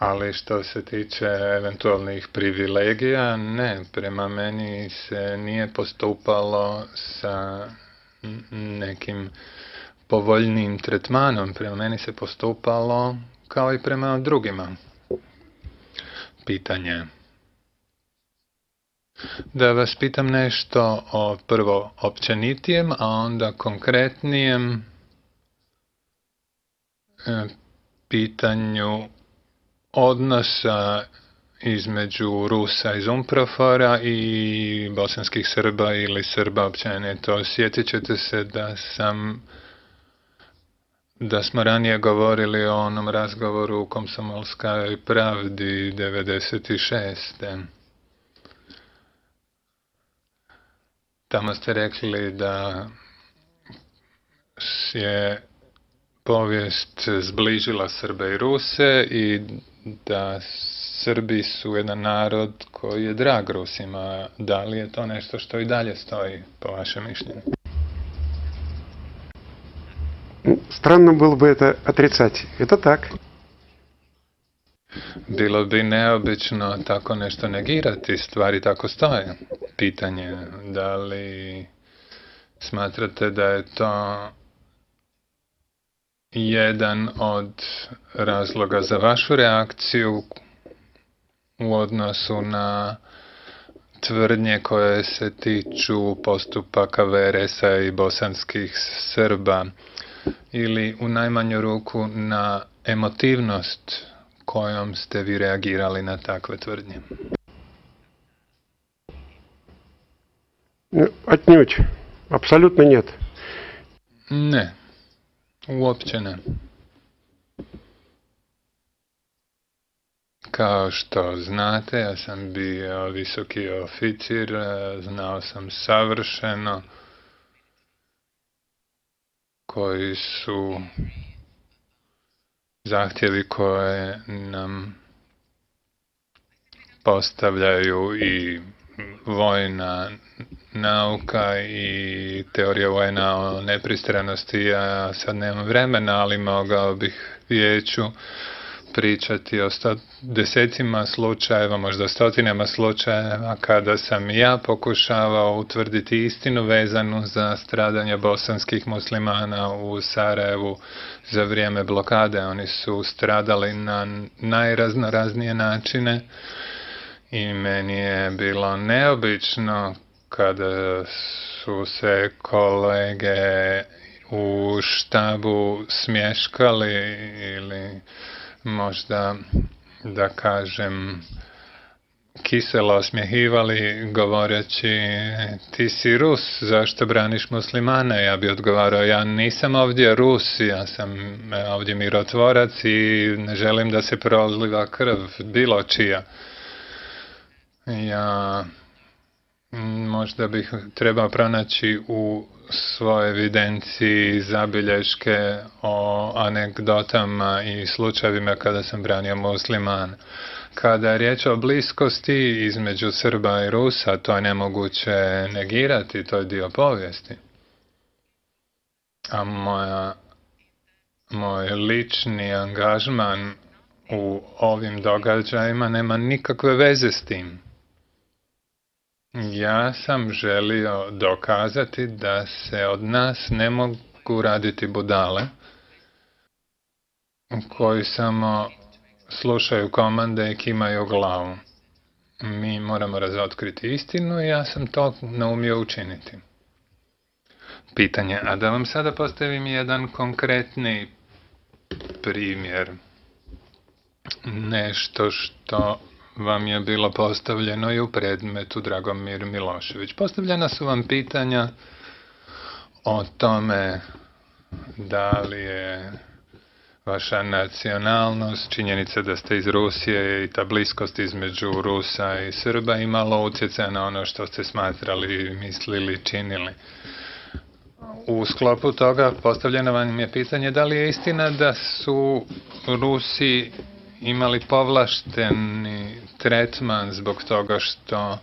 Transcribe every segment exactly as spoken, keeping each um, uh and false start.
Ali što se tiče eventualnih privilegija, ne, prema meni se nije postupalo sa nekim povoljnijim tretmanom, prema meni se postupalo kao i prema drugima. Pitanje. Da vas pitam nešto o prvo općenitijem, a onda konkretnijem pitanju odnosa između Rusa iz Umprofora i bosanskih Srba ili Srba općenito. Sjetit ćete se da sam da smo ranije govorili o onom razgovoru u Komsomolskoj pravdi devedeset šeste. Tamo ste rekli da je povijest zbližila Srbe i Ruse i da Srbi su jedan narod koji je drag Rusima. Da li je to nešto što i dalje stoji, po vašem mišljenju? Странно было бы это отрицать. Это так. Bilo bi neobično tako nešto negirati, stvari tako stoje. Pitanje, da li smatrate da je to jedan od razloga za vašu reakciju u odnosu na tvrdnje koje se tiču postupaka V R S-a i bosanskih Srba, ili u najmanju ruku na emotivnost kojom ste vi reagirali na takve tvrdnje? Отнюдь. Apsolutno нет. Ne. Uopće ne. Kao što znate, ja sam bio visoki oficir, znao sam savršeno koji su zahtjevi koje nam postavljaju i vojna nauka i teorija vojna o nepristranosti. Ja sad nemam vremena, ali mogao bih vijeću pričati o sto, desecima slučajeva, možda stotinama slučajeva kada sam ja pokušavao utvrditi istinu vezanu za stradanje bosanskih muslimana u Sarajevu za vrijeme blokade. Oni su stradali na najraznoraznije načine i meni je bilo neobično kada su se kolege u štabu smješkali ili možda, da kažem, kiselo osmjehivali govoreći ti si Rus, zašto braniš muslimane? Ja bi odgovarao, ja nisam ovdje Rus, ja sam ovdje mirotvorac i ne želim da se proliva krv bilo čija. Ja možda bih trebao pronaći u svojoj evidenciji zabilješke o anegdotama i slučajevima kada sam branio musliman. Kada je riječ o bliskosti između Srba i Rusa, to je nemoguće negirati, to je dio povijesti. A moja, moj lični angažman u ovim događajima nema nikakve veze s tim. Ja sam želio dokazati da se od nas ne mogu raditi budale koji samo slušaju komande i kimaju glavu. Mi moramo razotkriti istinu i ja sam to naumio učiniti. Pitanje, a da vam sada postavim jedan konkretni primjer. Nešto što vam je bilo postavljeno i u predmetu Dragomir Milošević. Postavljena su vam pitanja o tome da li je vaša nacionalnost, činjenica da ste iz Rusije i ta bliskost između Rusa i Srba imalo utjecaja na ono što ste smatrali, mislili, činili. U sklopu toga postavljeno vam je pitanje da li je istina da su Rusi imali povlašteni tretman zbog toga što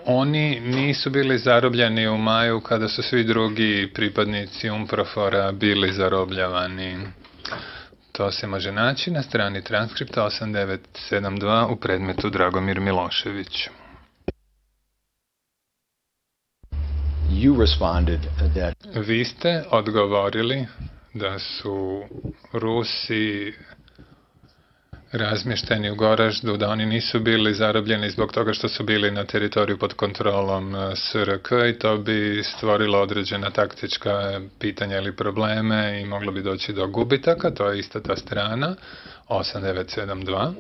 oni nisu bili zarobljeni u maju kada su svi drugi pripadnici Umprofora bili zarobljavani. To se može naći na strani transkripta osam devet sedam dva u predmetu Dragomir Milošević. You responded that Vi ste odgovorili da su Rusi razmješteni u Goraždu, da oni nisu bili zarobljeni zbog toga što su bili na teritoriju pod kontrolom S R K i to bi stvorilo određena taktička pitanja ili probleme i moglo bi doći do gubitaka. To je ista ta strana osam devet sedam dva.